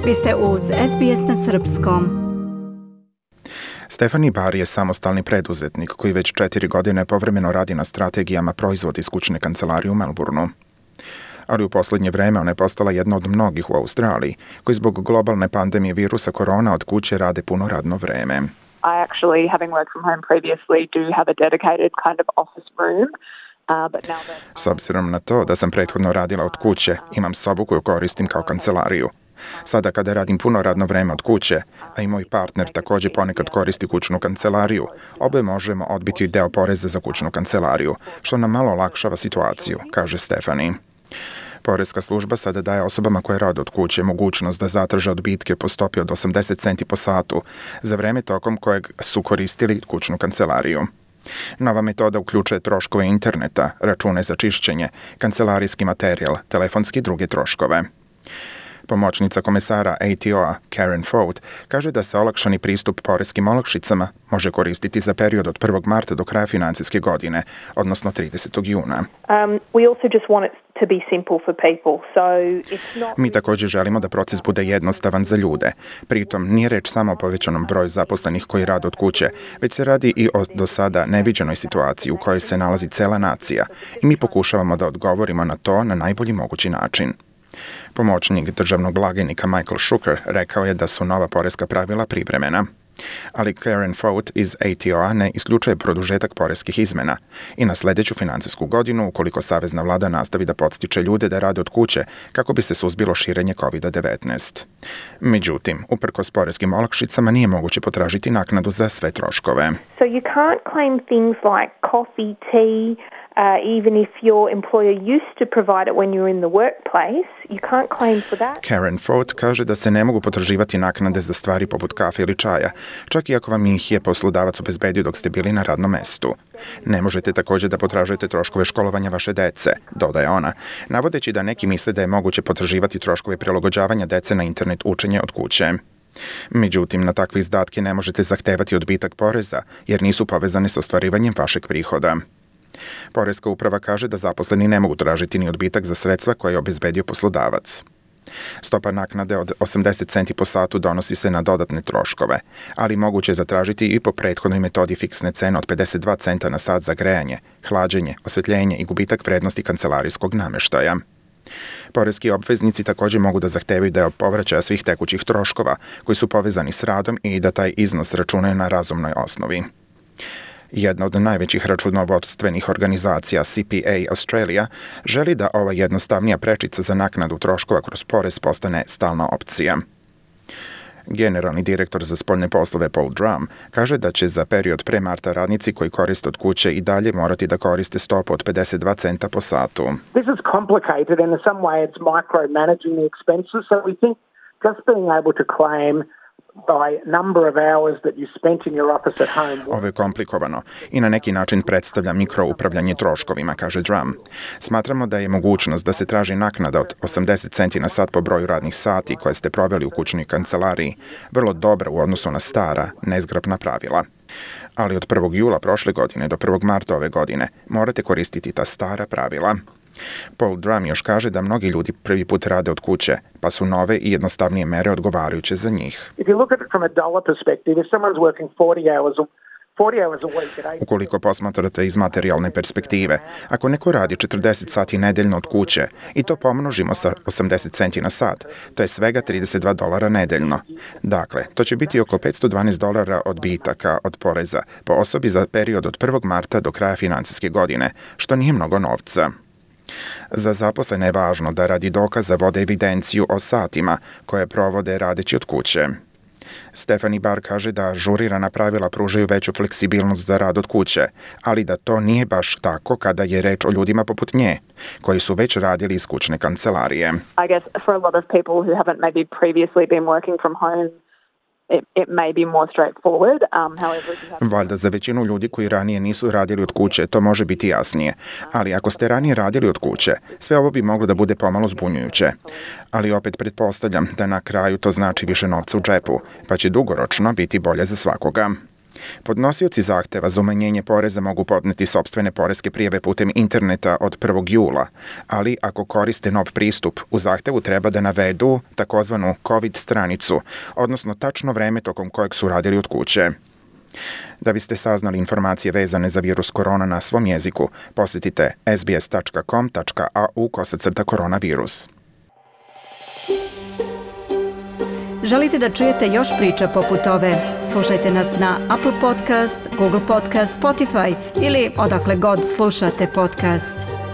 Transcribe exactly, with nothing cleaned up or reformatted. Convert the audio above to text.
Vi ste uz S B S na srpskom. Stephanie Barr je samostalni preduzetnik koji već četiri godine povremeno radi na strategijama proizvoda iz kućne kancelarije u Melbourneu. Ali u posljednje vreme ona je postala jedna od mnogih u Australiji koji zbog globalne pandemije virusa korona od kuće rade puno radno vreme. I actually, having worked from home previously, do have a dedicated kind of office room. Uh, but now that... S obzirom na to da sam prethodno radila od kuće, imam sobu koju koristim kao kancelariju. Sada kada radim puno radno vreme od kuće, a i moj partner također ponekad koristi kućnu kancelariju, obe možemo odbiti deo poreza za kućnu kancelariju, što nam malo olakšava situaciju, kaže Stephanie. Poreska služba sada daje osobama koje rade od kuće mogućnost da zatraže odbitke po stopi od osamdeset centi po satu za vreme tokom kojeg su koristili kućnu kancelariju. Nova metoda uključuje troškove interneta, račune za čišćenje, kancelarijski materijal, telefonski i druge troškove. Pomoćnica komesara A T O-a Karen Fout kaže da se olakšani pristup poreskim olakšicama može koristiti za period od prvog marta do kraja financijske godine, odnosno tridesetog juna. Um, we also just want it to be simple for people. So it's not... Mi također želimo da proces bude jednostavan za ljude. Pritom nije reč samo o povećanom broju zaposlenih koji rade od kuće, već se radi i o do sada neviđenoj situaciji u kojoj se nalazi cela nacija i mi pokušavamo da odgovorimo na to na najbolji mogući način. Pomoćnik državnog blagajnika Michael Shuker rekao je da su nova poreska pravila privremena. Ali Karen Fout iz A T O-a ne isključuje produžetak poreskih izmena i na sljedeću financijsku godinu, ukoliko savezna vlada nastavi da podstiče ljude da rade od kuće kako bi se suzbilo širenje covid devetnaest. Međutim, uprkos poreskim olakšicama nije moguće potražiti naknadu za sve troškove. So you can't claim things like coffee, tea, Uh, even if your employer used to provide it when you're in the workplace, you can't claim for that. Karen Fout kaže da se ne mogu potraživati naknade za stvari poput kafe ili čaja, čak i ako vam ih je poslodavac obezbedio dok ste bili na radnom mestu. Ne možete također da potražujete troškove školovanja vaše dece, dodaje ona, navodeći da neki misle da je moguće potraživati troškove prilagođavanja dece na internet učenje od kuće. Međutim, na takve izdatke ne možete zahtevati odbitak poreza, jer nisu povezane s ostvarivanjem vašeg prihoda. Poreska uprava kaže da zaposleni ne mogu tražiti ni odbitak za sredstva koje je obezbedio poslodavac. Stopa naknade od osamdeset centi po satu donosi se na dodatne troškove, ali moguće je zatražiti i po prethodnoj metodi fiksne cene od pedeset dva centa na sat za grejanje, hlađenje, osvetljenje i gubitak vrednosti kancelarijskog nameštaja. Poreski obveznici također mogu da zahtevaju deo povraćaja svih tekućih troškova koji su povezani s radom i da taj iznos računaju na razumnoj osnovi. Jedna od najvećih računovodstvenih organizacija C P A Australia želi da ova jednostavnija prečica za naknadu troškova kroz porez postane stalna opcija. Generalni direktor za spoljne poslove Paul Drum kaže da će za period pre marta radnici koji koriste od kuće i dalje morati da koriste stopu od pedeset dva centa po satu. This is complicated and in some way it's micromanaging the expenses, so we think just being able to claim by number of hours that you spent in your office at home. Ovo je komplikovano i na neki način predstavlja mikroupravljanje troškovima, kaže Drum. Smatramo da je mogućnost da se traži naknada od osamdeset centi na sat po broju radnih sati koje ste proveli u kućnoj kancelariji vrlo dobra u odnosu na stara, nezgrapna pravila. Ali od prvog jula prošle godine do prvog marta ove godine morate koristiti ta stara pravila. Paul Drum još kaže da mnogi ljudi prvi put rade od kuće, pa su nove i jednostavnije mere odgovarajuće za njih. Ukoliko posmatrate iz materijalne perspektive, ako neko radi četrdeset sati nedeljno od kuće i to pomnožimo sa osamdeset centi na sat, to je svega trideset dva dolara nedeljno. Dakle, to će biti oko petsto dvanaest dolara odbitaka od poreza po osobi za period od prvog marta do kraja financijske godine, što nije mnogo novca. Za zaposlene je važno da radi dokaza vode evidenciju o satima koje provode radeći od kuće. Stephanie Barr kaže da ažurirana pravila pružaju veću fleksibilnost za rad od kuće, ali da to nije baš tako kada je reč o ljudima poput nje, koji su već radili iz kućne kancelarije. I guess for a lot of people who haven't maybe previously been working from home, It, it may be more straightforward. Um, however, if you have... Valjda za većinu ljudi koji ranije nisu radili od kuće to može biti jasnije, ali ako ste ranije radili od kuće, sve ovo bi moglo da bude pomalo zbunjujuće. Ali opet pretpostavljam da na kraju to znači više novca u džepu, pa će dugoročno biti bolje za svakoga. Podnosioci zahteva za umanjenje poreza mogu podneti sopstvene poreske prijave putem interneta od prvog jula, ali ako koriste nov pristup, u zahtevu treba da navedu takozvanu COVID stranicu, odnosno tačno vreme tokom kojeg su radili od kuće. Da biste saznali informacije vezane za virus korona na svom jeziku, posjetite sbs.com.au kosacrta koronavirus. Želite da čujete još priča poput ove? Slušajte nas na Apple Podcast, Google Podcast, Spotify ili odakle god slušate podcast.